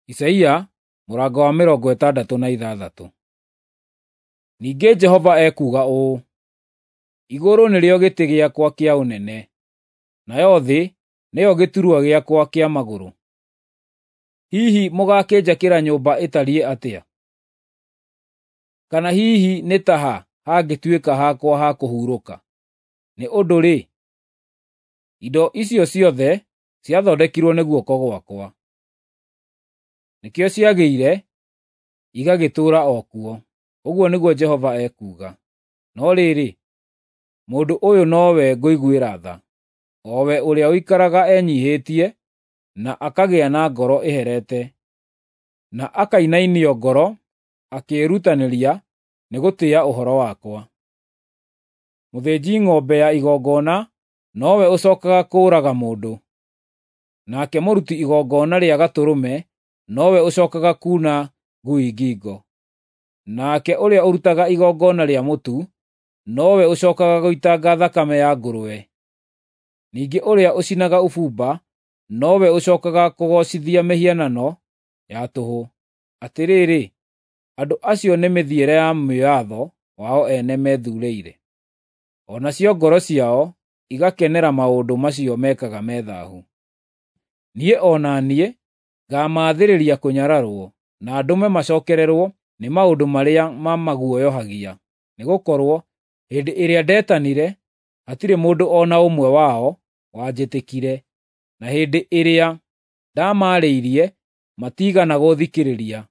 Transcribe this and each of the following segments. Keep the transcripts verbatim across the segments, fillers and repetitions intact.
Isaia mũrango wa mĩrongo ĩtandatũ na ithathatũ. Ningĩ Jehova ekuuga ũũ: Igũrũ nĩrĩo gĩtĩ gĩakwa kĩa ũnene, nayo thĩ nĩyo gĩturwa gĩakwa kĩa magũrũ. Hihi mũgaakĩnjakĩra nyũmba ĩtariĩ atĩa? Kana hihi nĩ ta ha hangĩtuĩka hakwa ha kũhurũka? Nĩ ũndũ-rĩ, indo icio ciothe ciathondekirwo nĩ guoko gwakwa. Nĩkĩo ciagĩire, igagĩtũũra o kuo, ũguo nĩguo Jehova ekuuga. No rĩrĩ, mũndũ ũyũ nowe ngũiguĩra tha, o we ũrĩa ũikaraga enyiihĩtie na akagĩa na ngoro ĩherete, na akainainio ngoro akĩĩrutanĩria nĩ gũtĩĩa ũhoro wakwa. Mũthĩnji ng'ombe ya igongona nowe ũcookaga kũũraga mũndũ, nake mũruti igongona rĩa gatũrũme nowe ũcookaga kuuna ngui ngingo, nake ũrĩa ũrutaga igongona rĩa mũtu nowe ũcookaga gũitanga thakame ya ngũrwe. Ningĩ ũrĩa ũcinaga ũbumba nowe ũcookaga kũgoocithia mĩhianano ya tũhũ. Atĩrĩrĩ, andũ acio nĩ mĩthiĩre ya mwĩatho wao ene methuurĩire, o nacio ngoro ciao igakenera maũndũ macio mekaga me thaahu. Niĩ o na niĩ ngaamaathĩrĩria kũnyararwo, na ndũme macookererwo nĩ maũndũ marĩa mamaguoyohagia, nĩgũkorwo hĩndĩ ĩrĩa ndetanire, hatirĩ mũndũ o na ũmwe wao wanjĩtĩkire, na hĩndĩ ĩrĩa ndamaarĩirie matiigana gũũthikĩrĩria.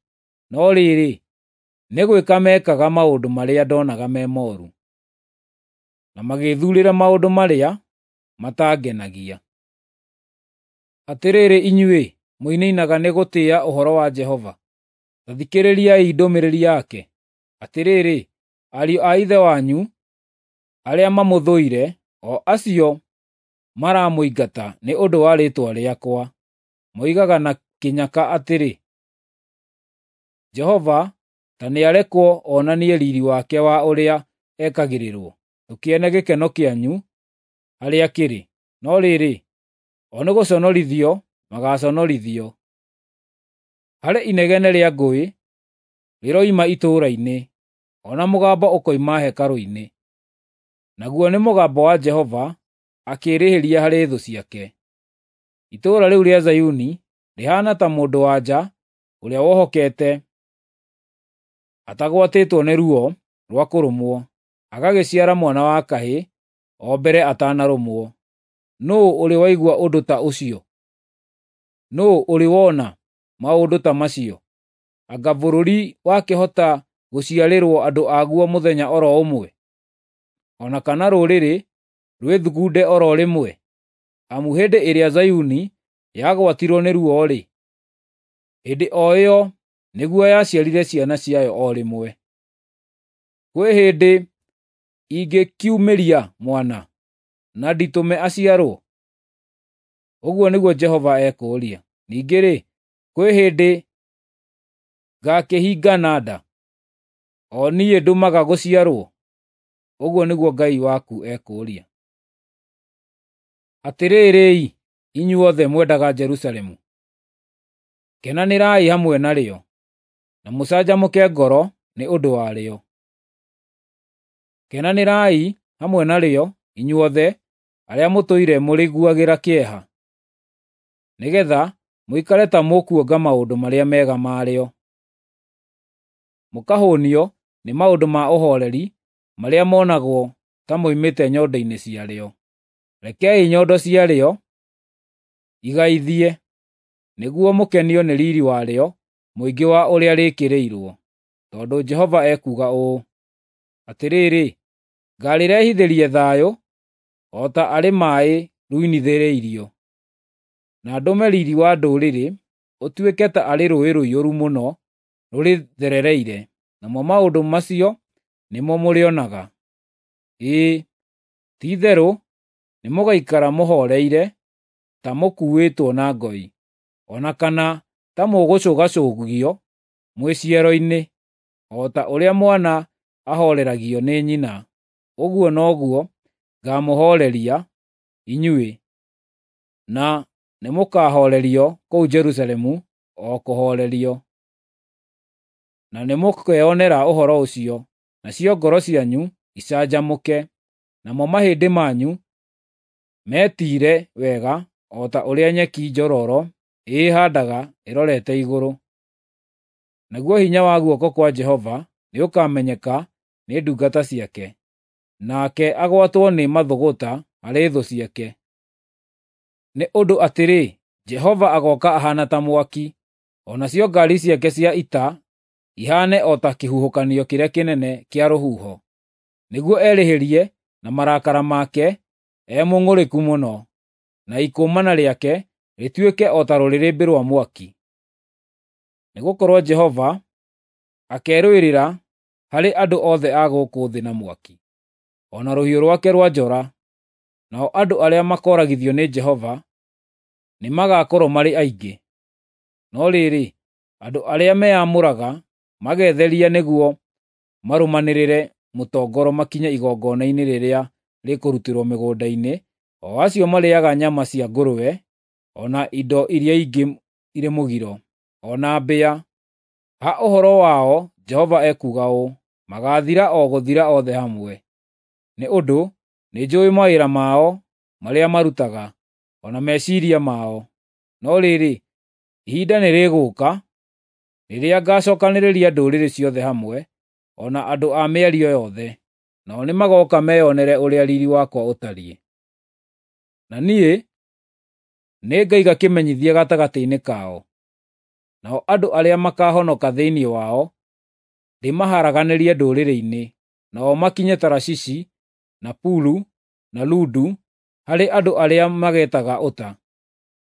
No rĩrĩ, nĩ gwĩka meekaga maũndũ marĩa ndonaga me mooru, na magĩĩthuurĩra maũndũ marĩa matangenagia. Atĩrĩrĩ inyuĩ mũinainaga nĩ gũtĩĩa ũhoro wa Jehova, ta thikĩrĩriai ndũmĩrĩri yake. Atĩrĩrĩ, ariũ a ithe wanyu arĩa mamũthũire, o acio maramũingata nĩ ũndũ wa rĩĩtwa rĩakwa, moigaga na kĩnyaka atĩrĩ, ‘Jehova ta nĩarekwo onanie riiri wake wa ũrĩa ekagĩrĩrwo, tũkĩone gĩkeno kĩanyu harĩa kĩrĩ.’ No rĩrĩ, o nĩgũconorithio magaaconorithio. Harĩ inegene rĩa ngũĩ rĩroima itũũra-inĩ, o na mũgambo ũkoima hekarũ-inĩ, naguo nĩ mũgambo wa Jehova akĩĩrĩhĩria harĩ thũ ciake. Itũũra rĩu rĩa Zayuni rĩhaana ta mũndũ-wa-nja ũrĩa wohokete atagwatĩtwo nĩ ruo rwa kũrũmwo, agagĩciara mwana wa kahĩĩ o mbere atanarũmwo. Nũũ ũrĩ waigua ũndũ ta ũcio? Nũũ ũrĩ wona maũndũ ta macio? Anga bũrũri wakĩhota gũciarĩrwo andũ aguo mũthenya o ro ũmwe, o na kana rũrĩrĩ rwĩthugunde o ro rĩmwe? Amu hĩndĩ ĩrĩa Zayuni yagwatirwo nĩ ruo-rĩ, hĩndĩ o ĩyo nĩguo yaciarire ciana ciayo o rĩmwe. Kwĩ hĩndĩ ingĩkiumĩria mwana na nditũme aciarwo? Ũguo nĩguo Jehova ekũũria. Ningĩ-rĩ, kwĩ hĩndĩ ngaakĩhingana nda, o niĩ ndũmaga gũciarwo? Ũguo nĩguo Ngai waku ekũũria. Atĩrĩrĩ-i, inyuothe mwendaga Jerusalemu, kenanĩrai hamwe narĩo, na mũcanjamũke ngoro nĩ ũndũ warĩo. Kenanĩrai hamwe narĩo inyuothe arĩa mũtũire mũrĩiguagĩra kĩeha, nĩgeetha mũikare ta mũkuonga maũndũ marĩa mega marĩo, mũkahũũnio nĩ maũndũ ma ũhooreri marĩa monagwo ta moimĩte nyondo-inĩ ciarĩo. Rekei nyondo ciarĩo igaithie, nĩguo mũkenio nĩ riiri warĩo mũingĩ wa ũrĩa rĩĩkĩrĩirwo. Tondũ Jehova ekuuga ũũ: Atĩrĩrĩ, ngaarĩrehithĩria thayũ o ta arĩ maaĩ ruunithĩrĩirio, na ndũme riiri wa ndũrĩrĩ ũtuĩke ta arĩ rũũĩ rũiyũru mũno rũrĩtherereire, namo maũndũ macio nĩmo mũrĩonaga. Ĩĩ, ti-itherũ nĩmũgaikara mũhooreire ta mũkuuĩtwo na ngoi, o na kana ta mũgũcũgacũgio mwĩ ciero-inĩ, o ta ũrĩa mwana ahooreragio nĩ nyina, ũguo noguo ngaamũhooreria inyuĩ, na nĩmũkahoorerio kũu Jerusalemu. o kũhoorerio. Na nĩmũkeonera ũhoro ũcio, nacio ngoro cianyu icanjamũke, namo mahĩndĩ manyu metiire wega o ta ũrĩa nyeki njororo ĩĩhandaga ĩrorete igũrũ. Naguo hinya wa guoko kwa Jehova nĩũkamenyeka nĩ ndungata ciake, nake agwatwo nĩ mathũgũta harĩ thũ ciake. Nĩ ũndũ atĩrĩ, Jehova agooka ahaana ta mwaki, o nacio ngaari ciake cia ita ihaane o ta kĩhuhũkanio kĩrĩa kĩnene kĩa rũhuho, nĩguo erĩhĩrie na marakara make e mũng'ũrĩku mũno, na ikũmana rĩake rĩtuĩke o ta rũrĩrĩmbĩ rwa mwaki. Nĩgũkorwo Jehova akerũĩrĩra harĩ andũ othe a gũkũ thĩ na mwaki, o na rũhiũ rwake rwa njora, nao andũ arĩa makooragithio nĩ Jehova nĩmagakorwo marĩ aingĩ. No rĩrĩ, andũ arĩa meyamũraga magetheria nĩguo marũmanĩrĩre mũtongoro makinye igongona-inĩ rĩrĩa rĩkũrutĩrwo mĩgũnda-inĩ, o acio marĩĩaga nyama cia ngũrwe, o na indo iria ingĩ irĩ mũgiro, o na mbĩa, ha ũhoro wao Jehova ekuuga ũũ: Magaathira o gũthira othe hamwe. Nĩ ũndũ nĩnjũũĩ mawĩra mao marĩa marutaga, o na meciiria mao. No rĩrĩ, ihinda nĩrĩgũũka rĩrĩa ngacookanĩrĩria ndũrĩrĩ ciothe hamwe, o na andũ a mĩario yothe, nao nĩmagooka meyonere ũrĩa riiri wakwa ũtariĩ. Na niĩ nĩngaiga kĩmenyithia gatagatĩ-inĩ kao. Nao andũ arĩa makaahonoka thĩinĩ wao ndĩmaharaganĩrie ndũrĩrĩ-inĩ, nao makinye Tarashishi, na Pulu, na Ludu, harĩ andũ arĩa mageetaga ũta,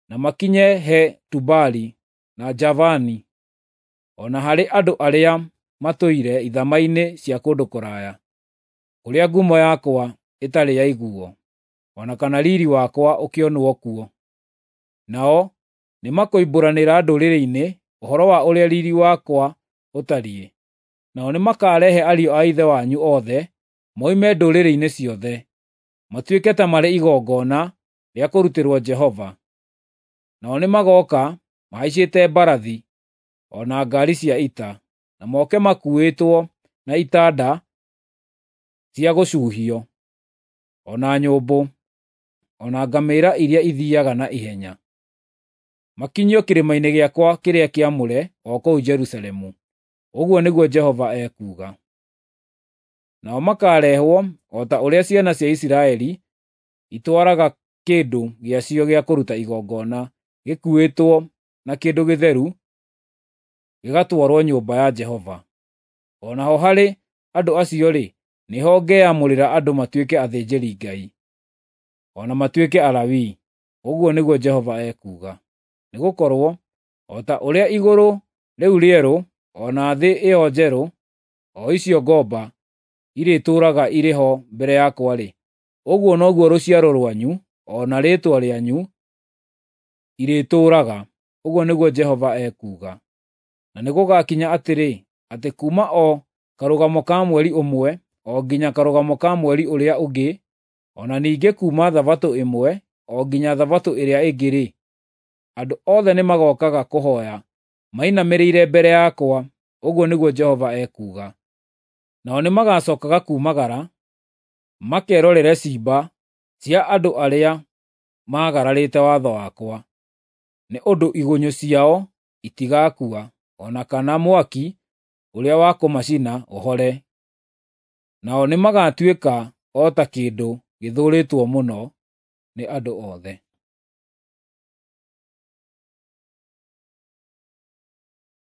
na makinye he Tubali na Javani, o na harĩ andũ arĩa matũire ithama-inĩ cia kũndũ kũraya, kũrĩa ngumo yakwa ĩtarĩ yaiguo, o na kana riiri wakwa ũkĩonwo kuo. Nao nĩmakoimbũranĩra ndũrĩrĩ-inĩ ũhoro wa ũrĩa riiri wakwa ũtariĩ. Nao nĩmakarehe ariũ a ithe wanyu othe moime ndũrĩrĩ-inĩ ciothe, matuĩke ta marĩ igongona rĩa kũrutĩrwo Jehova. Nao nĩmagooka mahaicĩte mbarathi o na ngaari cia ita, na moke makuuĩtwo na itanda cia gũcuuhio, o na nyũmbũ, o na ngamĩĩra iria ithiiaga na ihenya, makinyio kĩrĩma-inĩ gĩakwa kĩrĩa kĩamũre o kũu Jerusalemu. Ũguo nĩguo Jehova ekuuga. Nao makaarehwo o ta ũrĩa ciana cia Isiraeli itwaraga kĩndũ gĩacio gĩa kũruta igongona gĩkuuĩtwo na kĩndũ gĩtheru gĩgatwarwo nyũmba ya Jehova. O naho harĩ andũ acio-rĩ, nĩho ngeyamũrĩra andũ matuĩke athĩnjĩri-Ngai, o na matuĩke Alawii, ũguo nĩguo Jehova ekuuga. Nĩgũkorwo o ta ũrĩa igũrũ rĩu rĩerũ o na thĩ ĩyo njerũ, o icio ngomba, irĩtũũraga irĩ ho mbere yakwa-rĩ, ũguo noguo rũciaro rwanyu o na rĩĩtwa rĩanyu irĩtũũraga, ũguo nĩguo Jehova ekuuga. Na nĩgũgakinya atĩrĩ, atĩ kuuma o karũgamo ka mweri ũmwe o nginya karũgamo ka mweri ũrĩa ũngĩ, o na ningĩ kuuma Thabatũ ĩmwe o nginya Thabatũ ĩrĩa ĩngĩ-rĩ, andũ othe nĩmagookaga kũhooya mainamĩrĩire mbere yakwa, ũguo nĩguo Jehova ekuuga. Nao nĩmagacookaga kuumagara makerorere ciimba cia andũ arĩa maagararĩte watho wakwa, nĩ ũndũ igunyũ ciao itigakua, o na kana mwaki ũrĩa wa kũmacina ũhore. Nao nĩmagatuĩka o ta kĩndũ gĩthũũrĩtwo mũno nĩ andũ othe.